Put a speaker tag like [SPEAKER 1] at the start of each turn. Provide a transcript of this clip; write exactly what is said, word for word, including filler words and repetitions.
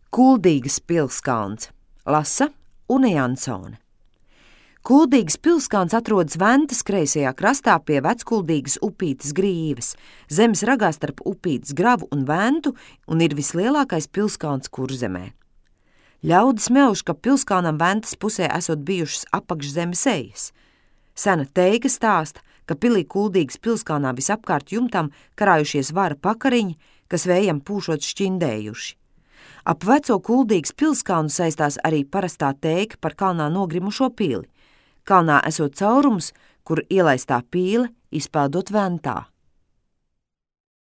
[SPEAKER 1] Kuldīgas pilskalns, lasa Une Jansone. Kuldīgas pilskalns atrodas Ventas kreisajā krastā pie Veckuldīgas upītes grīves, zemes ragā starp upītes gravu un Ventu, un ir vislielākais pilskalns Kurzemē. Ļaudis meuž, ka pilskalnam Ventas pusē esot bijušas apakšzemes ejas. Sena teiga stāsta, ka pilī Kuldīgas pilskalnā visapkārt jumtam karājušies vara pakariņi, kas vējam pūšot šķindējuši. Ap veco Kuldīgas pilskalnu saistās arī parastā teiga par kalnā nogrimušo pili. Kalnā esot caurums, kur ielaistā pīle izpeldot Ventā.